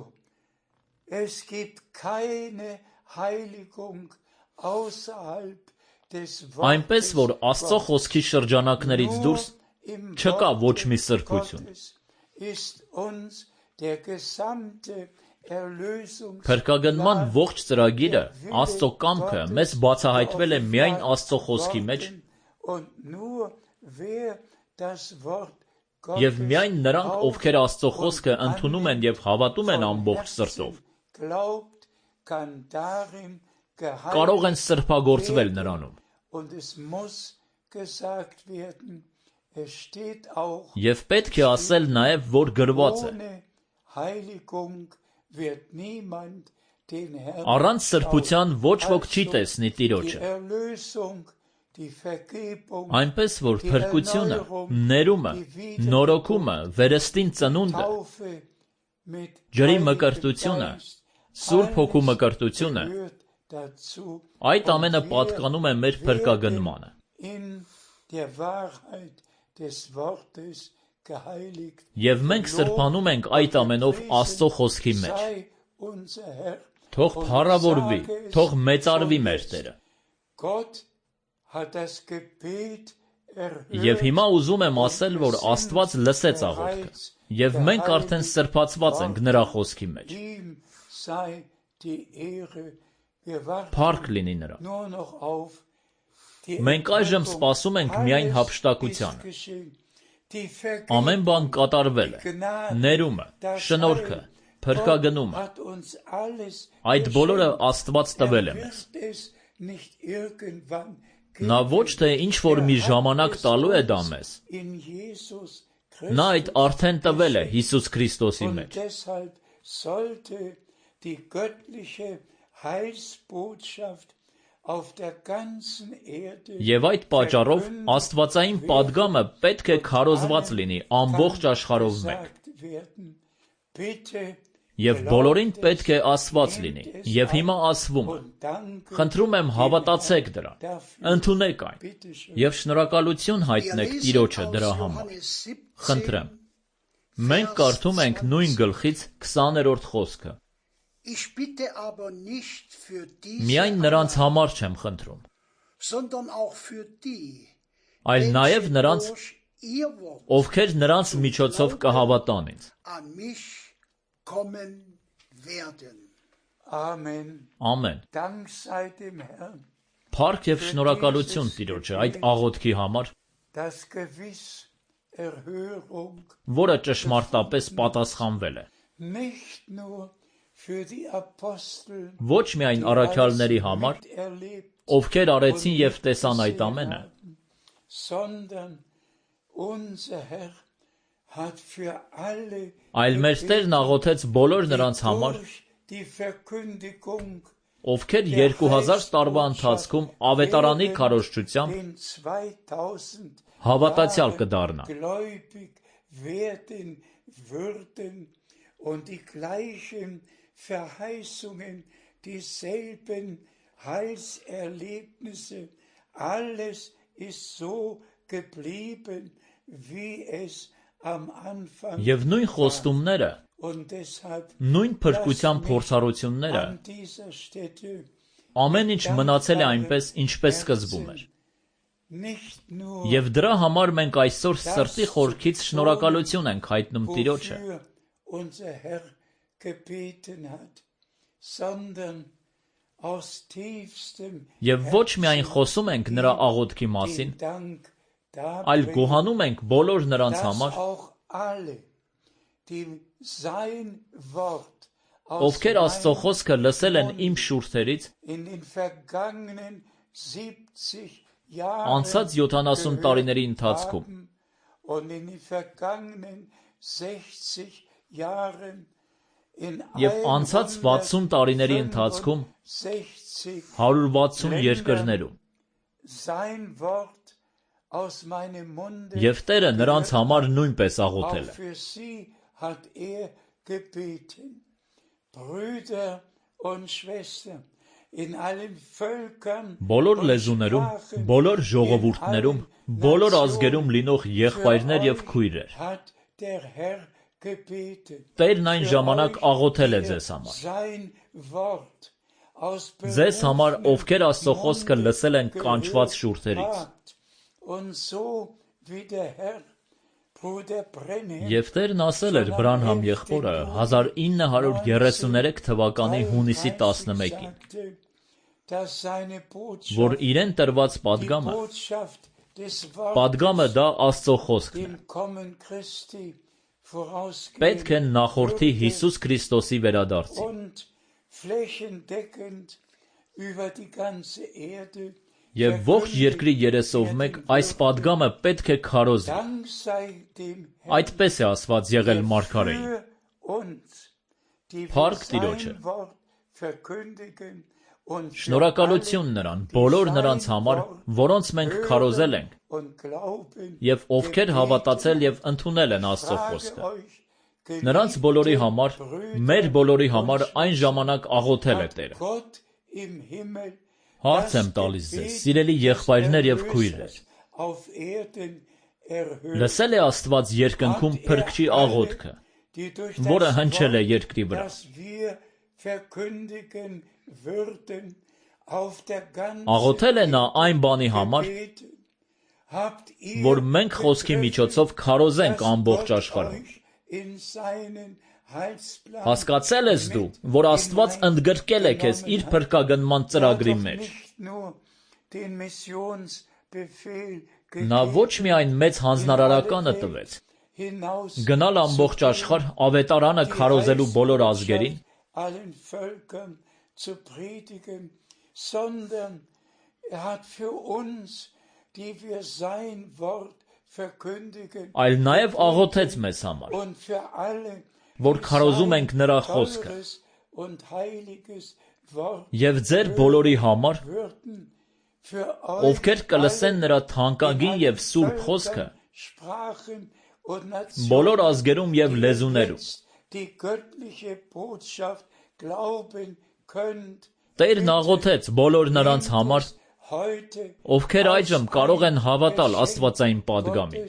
es gibt keine Heiligung außerhalb des Այնպես որ Աստծո խոսքի շրջանակներից դուրս չկա ոչ մի սրբություն։ Փրկագնման ողջ ծրագիրը, Աստծո կամքը մեզ բացահայտվել է միայն Աստծո խոսքի մեջ, եւ միայն նրանք, ովքեր Աստծո խոսքը ընդունում են եւ հավատում են ամբողջ սրտով, կարող են սրբագործվել նրանում։ Եվ պետք է ասել նաև, որ գրված է. առանց սրբության ոչ ոք չի տեսնի Տիրոջը։ Այնպես որ փրկությունը, ներումը, նորոգումը, վերստին ծնունդը, ջրի մկրտությունը, Սուրբ Հոգու մկրտությունը, այդ ամենը պատկանում է մեր փրկագնմանը։ Եվ մենք սրբանում ենք այդ ամենով Աստծո խոսքի մեջ։ Թող փառավորվի, թող մեծարվի մեր Տերը։ Եվ հիմա ուզում եմ ասել, որ Աստված լսեց աղոթքը, եւ մենք արդեն սրբացված ենք նրա խոսքի մեջ։ Փառք լինի նրան։ Մենք այժմ սպասում ենք միայն հափշտակությանը։ Ամեն բան կատարվել է, ներումը, շնորհքը, փրկագնումը, այդ բոլորը Աստված տվել է մեզ։ Նա ոչ թե ինչ-որ մի ժամանակ տալու է դա մեզ, նա այդ արդեն տվել է Հիսուս Քրիստոսի մեջ։ Եվ այդ պատճառով աստվածային պատգամը պետք է քարոզված լինի ամբողջ աշխարհով մեկ։ Եվ բոլորին պետք է ասված լինի, եւ հիմա ասվում է։ Խնդրում եմ հավատացեք դրան, ընդունեք այն, եւ շնորհակալություն հայտնեք Տիրոջը դրա համար։ Խնդրեմ։ Մենք կարդում ենք նույն գլխից քսաներորդ խոսքը։ Միայն նրանց համար չեմ խնդրում, այլ նաև նրանց, ովքեր նրանց միջոցով կհավատան ինձ։ Ամեն։ Փառք եւ շնորհակալություն Տիրոջը այդ աղոթքի համար, որը ճշմարտապես պատասխանվել է։ Ոչ միայն առաքյալների համար, ովքեր արեցին եւ տեսան այդ ամենը, այլ մեր Տերն աղոթեց բոլոր նրանց համար, ովքեր երկու հազար տարվա ընթացքում ավետարանի քարոզչությամբ հավատացյալ կդառնան։ Und die gleichen Verheißungen, dieselben Heilserlebnisse, alles ist so geblieben, wie es am Anfang war. Եվ նույն խոստումները, նույն փրկության փորձառությունները, ամեն ինչ մնացել է այնպես, ինչպես սկզբում էր։ Եվ դրա համար մենք այսօր սրտի խորքից շնորհակալություն ենք հայտնում Տիրոջը։ Unser Herr gebeten hat, sondern aus tiefstem Եվ ոչ միայն խոսում ենք նրա աղոթքի մասին, այլ գոհանում ենք բոլոր նրանց համար, ովքեր Աստծո խոսքը լսել են իմ շուրթերից անցած յոթանասուն տարիների ընթացքում, և անցած վաթսուն տարիների ընթացքում հարյուր վաթսուն երկրներում։ Եվ Տերը նրանց համար նույնպես աղոթել է։ Բոլոր լեզուներում, բոլոր ժողովուրդներում, բոլոր ազգերում լինող եղբայրներ և քույրեր, Տերն այն ժամանակ աղոթել է ձեզ համար։ Ձեզ համար, ովքեր Աստծո խոսքը լսել են կանչված շուրթերից։ Եվ Տերն ասել էր Բրանհամ եղբորը հազար ինը հարյուր երեսուներեք թվականի հունիսի տասնմեկին, որ իրեն տրված պատգամը, պատգամը դա Աստծո խոսքն է, պետք է նախորդի Հիսուս Քրիստոսի վերադարձին։ Եվ ողջ երկրի երեսով մեկ այս պատգամը պետք է քարոզի։ Այդպես է ասված եղել մարգարեին։ Փառք Տիրոջը։ Շնորհակալություն նրան, բոլոր նրանց համար, որոնց մենք քարոզել ենք, և ովքեր հավատացել և ընդունել են Աստծո խոսքը։ Նրանց բոլորի համար, մեր բոլորի համար այն ժամանակ աղոթել է Տերը։ Հարց եմ տալիս ձեզ, սիրելի եղբայրներ և քույրեր, լսել է Աստված երկնքում Փրկչի աղոթքը, որը հնչել է երկրի վրա։ Աղոթել է նա այն բանի համար, որ մենք խոսքի միջոցով քարոզենք ամբողջ աշխարհում։ Հասկացել ես դու, որ Աստված ընդգրկել է քեզ իր փրկագնման ծրագրի մեջ։ Նա ոչ միայն մեծ հանձնարարականը տվեց, գնալ ամբողջ աշխարհ ավետարանը քարոզելու բոլոր ազգերին, այլ նաև աղոթեց մեզ համար, որ քարոզում ենք նրա խոսքը, և ձեր բոլորի համար, ովքեր կլսեն նրա թանկագին և սուրբ խոսքը, բոլոր ազգերում և լեզուներում։ Տերն աղոթեց բոլոր նրանց համար, ովքեր այժմ կարող են հավատալ աստվածային պատգամին։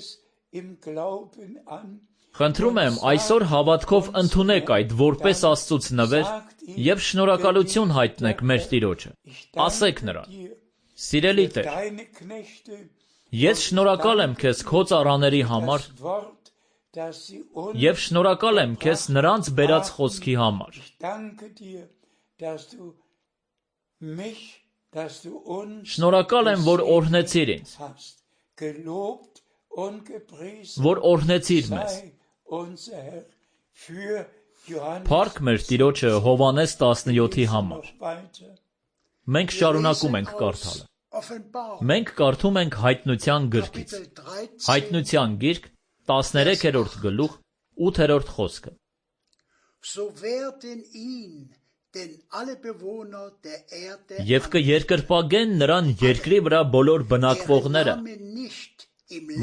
Խնդրում եմ, այսօր հավատքով ընդունեք այդ որպես Աստծուց նվեր և շնորհակալություն հայտնեք մեր Տիրոջը։ Ասեք նրան. «Սիրելի Տեր, ես շնորհակալ եմ քեզ քո ծառաների համար և շնորհակալ եմ քեզ նրանց բերած խոսքի համար։ Շնորհակալ եմ, որ օրհնեցիր ինձ, որ օրհնեցիր մեզ։ Փառք մեր Տիրոջը Հովհաննես տասնյոթի համար։ Մենք շարունակում ենք կարդալը։ Մենք կարդում ենք Հայտնության գրքից։ Հայտնության գիրք, տասներեքերորդ գլուխ, ութերորդ խոսքը։ Եվ կերկրպագեն նրան երկրի վրա բոլոր բնակվողները,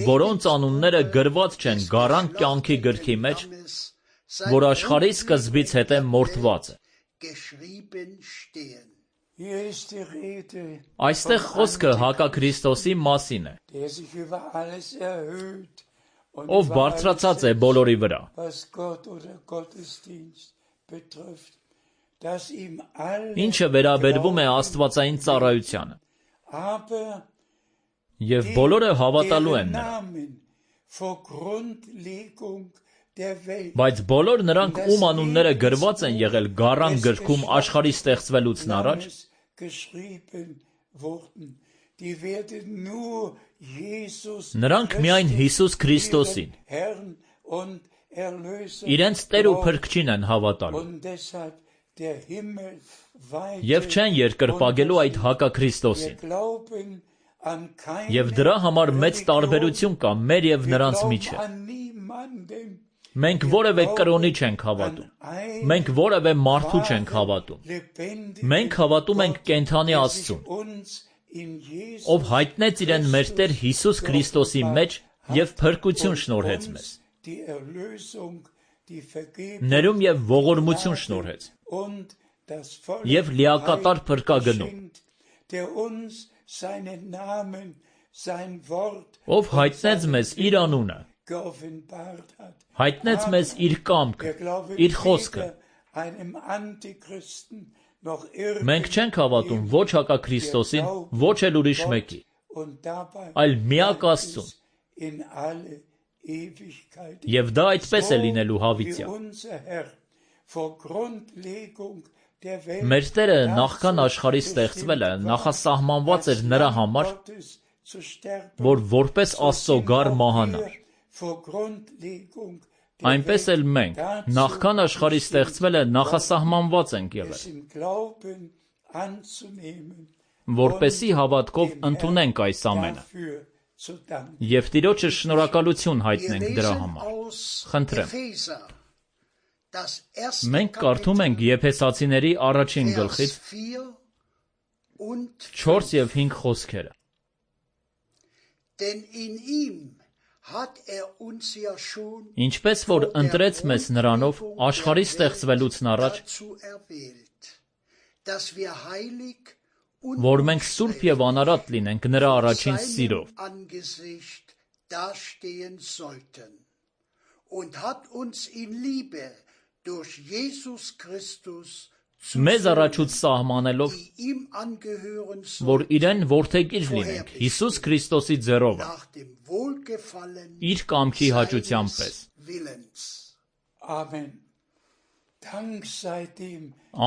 որոնց անունները գրված չեն գառան կյանքի գրքի մեջ, որ աշխարհի սկզբից հետո մորթված է։ Այստեղ խոսքը Հակաքրիստոսի մասին է, ով բարձրացած է բոլորի վրա, ինչը վերաբերվում է աստվածային ծառայությանը, և բոլորը հավատալու են նրան։ Բայց բոլոր նրանք, ում անունները գրված են եղել գառան գրքում աշխարհի ստեղծվելուց առաջ, նրանք միայն Հիսուս Քրիստոսին, իրենց Տեր ու Փրկչին են հավատալու, և չեն երկրպագելու այդ Հակաքրիստոսին։ Եվ դրա համար մեծ տարբերություն կա մեր և նրանց միջև։ Մենք որևէ կրոնի չենք հավատում, մենք որևէ մարդու չենք հավատում, մենք հավատում ենք կենդանի Աստծուն, ով հայտնեց իրեն մեր Տեր Հիսուս Քրիստոսի մեջ և փրկություն շնորհեց մեզ, ներում և ողորմություն շնորհեց, և լիակատար փրկագնում, ով հայտնեց մեզ իր անունը, հայտնեց մեզ իր կամքը, իր խոսքը։ Մենք չենք հավատում ոչ հակաքրիստոսին, ոչ էլ ուրիշ մեկի, այլ միակ Աստծուն, և դա այդպես է լինելու հավիտյան։ Մեր Տերը նախքան աշխարհի ստեղծվելը նախասահմանված էր նրա համար, որ որպես Աստծո գառ մահանար։ Այնպես էլ մենք նախքան աշխարհի ստեղծվելը նախասահմանված ենք եղել, որպեսզի հավատքով ընդունենք այս ամենը և Տիրոջը շնորհակալություն հայտնենք դրա համար։ Խնդրեմ։ Մենք կարդում ենք Եփեսացիների առաջին գլխից չորս և հինգ խոսքերը։ Ինչպես որ ընտրեց մեզ նրանով աշխարհի ստեղծվելուց առաջ, որ մենք սուրբ և անարատ լինենք նրա առաջին սիրով, մեզ առաջուց սահմանելով, որ իրեն որդեգիր լինենք Հիսուս Քրիստոսի ձեռովը, իր կամքի հաճության պես։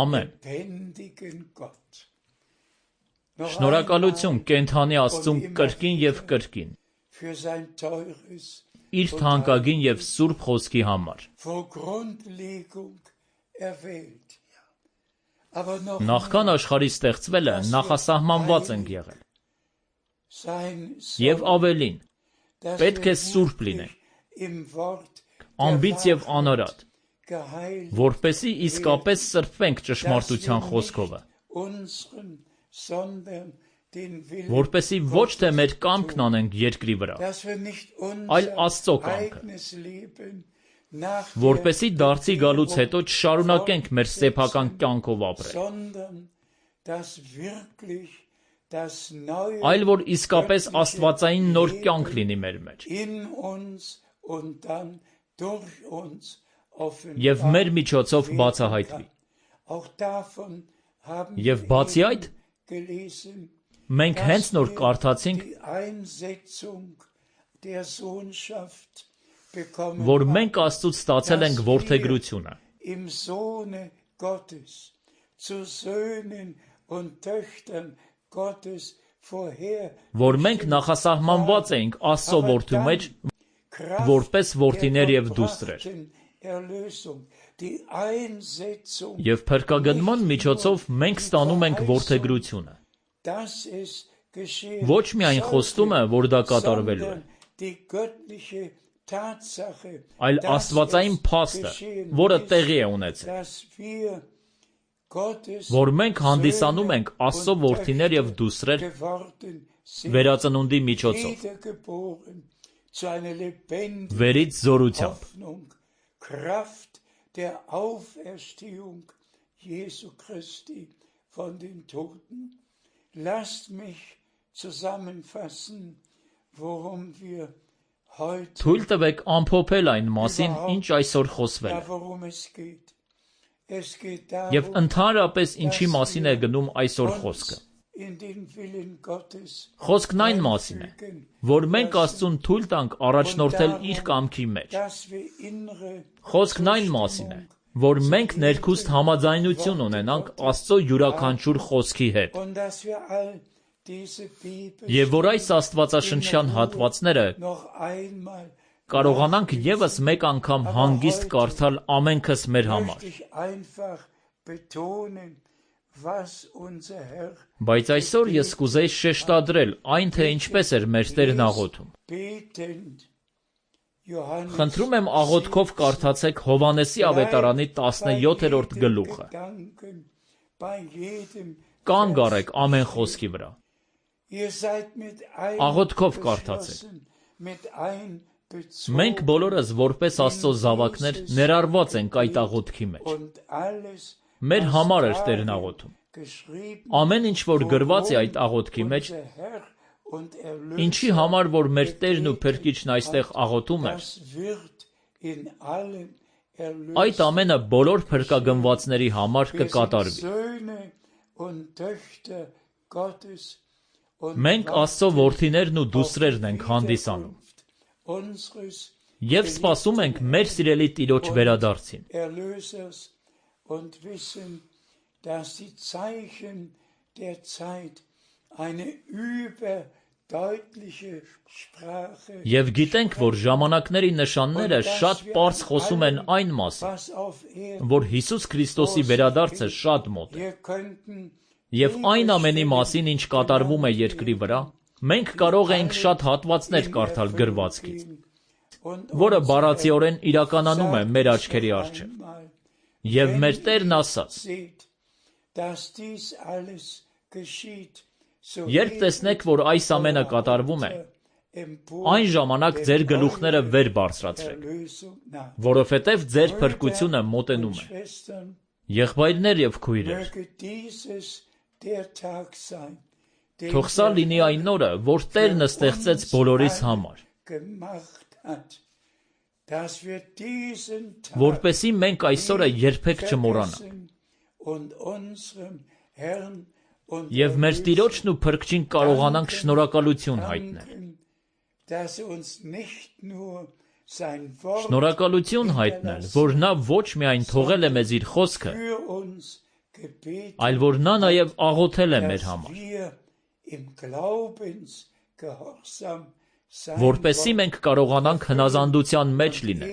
Ամեն։ Շնորհակալություն կենդանի Աստծուն կրկին և կրկին, իր թանկագին և սուրբ խոսքի համար։ Նախքան աշխարհի ստեղծվելը նախասահմանված ենք եղել։ Եվ ավելին, պետք է սուրբ լինենք, անբիծ և անարատ, որպեսզի իսկապես սրբվենք ճշմարտության խոսքովը, որպեսզի ոչ թե մեր կամքն անենք երկրի վրա, այլ Աստծո կամքը, որպեսզի դարձի գալուց հետո չշարունակենք մեր սեփական կյանքով ապրել, այլ որ իսկապես աստվածային նոր կյանք լինի մեր մեջ, և մեր միջոցով բացահայտվի։ Եվ բացի այդ, մենք հենց նոր կարդացինք, որ մենք Աստծուց ստացել ենք որդեգրությունը, որ մենք նախասահմանված էինք Աստծո որդու մեջ, որպես որդիներ և դուստրեր, և փրկագնման միջոցով մենք ստանում ենք որդեգրությունը, ոչ միայն խոստումը, որ դա կատարվելու է, այլ աստվածային փաստը, որը տեղի է ունեցել, որ մենք հանդիսանում ենք Աստծո որդիներ և դուստրեր վերածնունդի միջոցով, վերից զորությամբ, Թույլ տվեք ամփոփել այն մասին, ինչ այսօր խոսվել է, և ընդհանրապես ինչի մասին է գնում այսօր խոսքը։ Խոսքն այն մասին է, որ մենք Աստծուն թույլ տանք առաջնորդել իր կամքի մեջ։ Խոսքն այն մասին է, որ մենք ներքուստ համաձայնություն ունենանք Աստծո յուրաքանչյուր խոսքի հետ, և որ այս աստվածաշնչյան հատվածները կարողանանք ևս մեկ անգամ հանգիստ կարդալ ամենքս մեր համար։ Բայց այսօր ես կուզեի շեշտադրել այն, թե ինչպես էր մեր Տերն աղոթում։ Խնդրում եմ աղոթքով կարդացեք Հովհաննեսի ավետարանի տասնյոթերորդ գլուխը։ Կանգ առեք ամեն խոսքի վրա։ Աղոթքով կարդացեք։ Մենք բոլորս որպես Աստծո զավակներ ներառված ենք այդ աղոթքի մեջ։ մեր համար էր Տերն աղոթում։ Ամեն ինչ, որ գրված է այդ աղոթքի մեջ, ինչի համար, որ մեր Տերն ու Փրկիչն այստեղ աղոթում էր, այդ ամենը բոլոր փրկագնվածների համար կկատարվի։ Մենք Աստծո որդիներն ու դուստրերն ենք հանդիսանում և սպասում ենք մեր սիրելի Տիրոջ վերադարձին։ Եվ գիտենք, որ ժամանակների նշանները շատ պարզ խոսում են այն մասին, որ Հիսուս Քրիստոսի վերադարձը շատ մոտ է։ Եվ այն ամենի մասին, ինչ կատարվում է երկրի վրա, մենք կարող ենք շատ հատվածներ կարդալ գրվածքից, որը բառացիորեն իրականանում է մեր աչքերի առջև։ Եվ մեր Տերն ասաց. «Երբ տեսնեք, որ այս ամենը կատարվում է, այն ժամանակ ձեր գլուխները վեր բարձրացրեք, որովհետև ձեր փրկությունը մոտենում է»։ Եղբայրներ և քույրեր, թող սա լինի այն օրը, որ Տերն ստեղծեց բոլորիս համար, որպեսզի մենք այս օրը երբեք չմոռանանք և մեր Տիրոջն ու Փրկչին կարողանանք շնորհակալություն հայտնել։ Շնորհակալություն հայտնել, որ Նա ոչ միայն թողել է մեզ իր խոսքը, այլ որ Նա նաև աղոթել է մեր համար, որպեսզի մենք կարողանանք հնազանդության մեջ լինել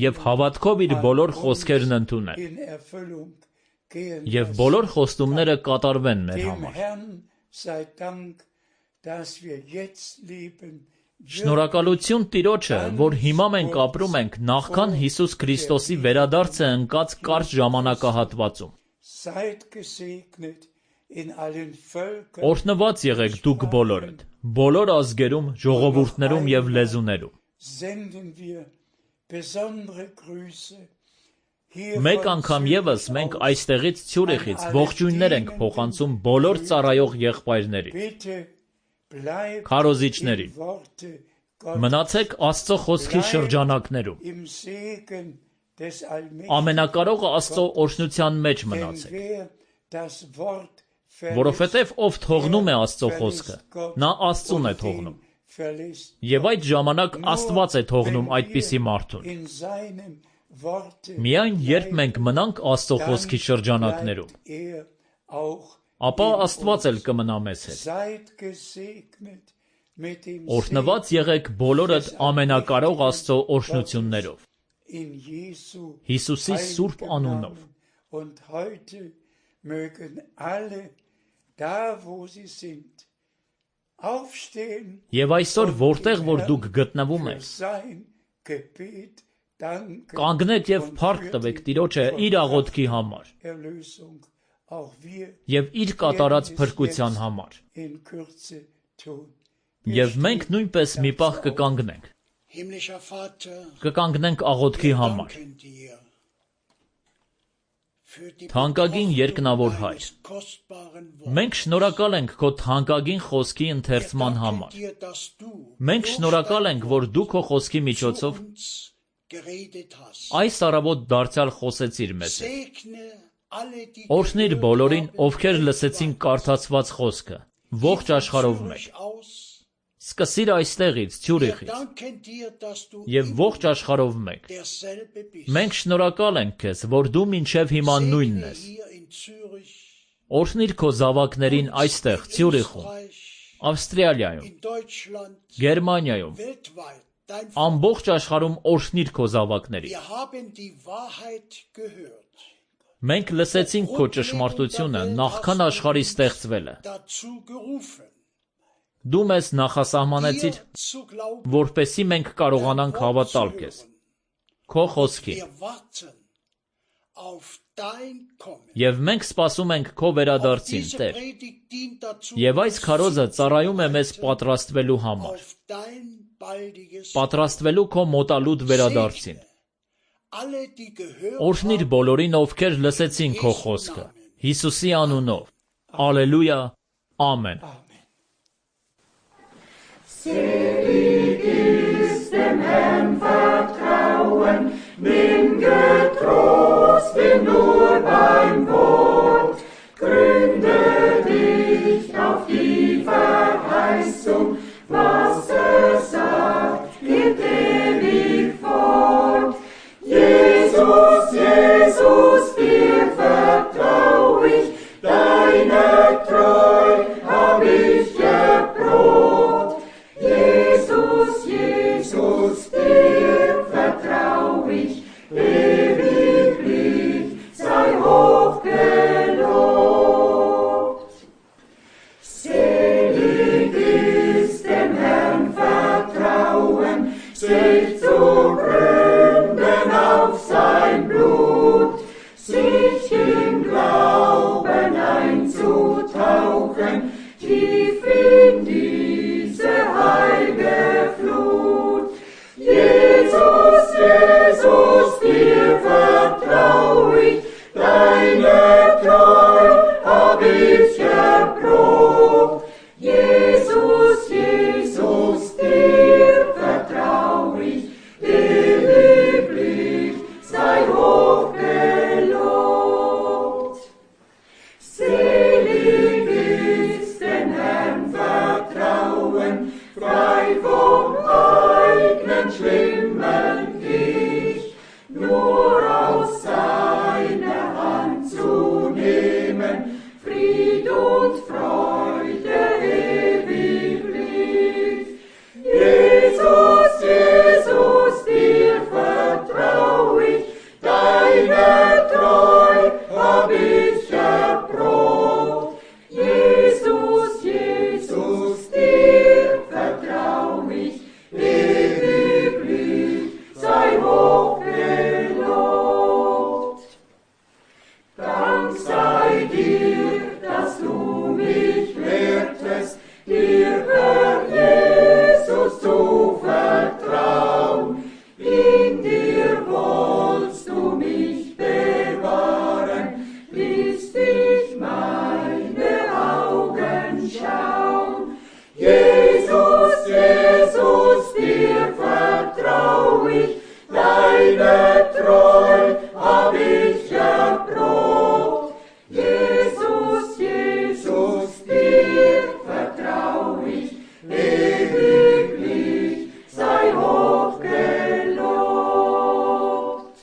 և հավատքով իր բոլոր խոսքերն ընդունել, և բոլոր խոստումները կատարվեն մեր համար։ Շնորհակալություն Տիրոջը, որ հիմա մենք ապրում ենք նախքան Հիսուս Քրիստոսի վերադարձը ընկած կարճ ժամանակահատվածում։ Օրհնված եղեք դուք բոլորդ, բոլոր ազգերում, ժողովուրդներում և լեզուներում։ Մեկ անգամ ևս մենք այստեղից Ցյուրիխից ողջույններ ենք փոխանցում բոլոր ծառայող եղբայրներին, քարոզիչներին։ Մնացեք Աստծո խոսքի շրջանակներում։ Ամենակարող Աստծո օրհնության մեջ մնացեք, որովհետև ով թողնում է Աստծո խոսքը, նա Աստծուն է թողնում, և այդ ժամանակ Աստված է թողնում այդպիսի մարդուն։ Միայն երբ մենք մնանք Աստծո խոսքի շրջանակներում, ապա Աստված էլ կմնա մեզ հետ։ Օրհնված եղեք բոլորդ ամենակարող Աստծո օրհնություններով, Հիսուսի սուրբ անունով։ Եվ այսօր, որտեղ որ դուք գտնվում եք, կանգնեք և փառք տվեք Տիրոջը իր աղոթքի համար և իր կատարած փրկության համար։ Եվ մենք նույնպես մի պահ կկանգնենք, կկանգնենք աղոթքի համար։ Թանկագին երկնավոր Հայր, մենք շնորհակալ ենք Քո թանկագին խոսքի ընթերցման համար։ Մենք շնորհակալ ենք, որ Դու Քո խոսքի միջոցով այս առավոտ դարձյալ խոսեցիր մեզ հետ։ Օրհնիր բոլորին, ովքեր լսեցին կարդացված խոսքը, ողջ աշխարհով մեկ։ Սկսիր այստեղից, Ցյուրիխից, և ողջ աշխարհով մեկ։ Մենք շնորհակալ ենք Քեզ, որ Դու մինչև հիմա նույնն ես։ Օրհնիր Քո զավակներին այստեղ, Ցյուրիխում, Ավստրիայում, Գերմանիայում, ամբողջ աշխարհում օրհնիր Քո զավակներին։ Մենք լսեցինք Քո ճշմարտությունը նախքան աշխարհի ստեղծվելը։ Դու մեզ նախասահմանեցիր, որպեսզի մենք կարողանանք հավատալ Քեզ, Քո խոսքին։ Եվ մենք սպասում ենք Քո վերադարձին, Տեր։ Եվ այս քարոզը ծառայում է մեզ պատրաստվելու համար, պատրաստվելու Քո մոտալուտ վերադարձին։ Օրհնիր բոլորին, ովքեր լսեցին քո խոսքը, Հիսուսի անունով, Ալելույա, ամեն։ Selig ist dem Herrn vertrauen, nimm getrost in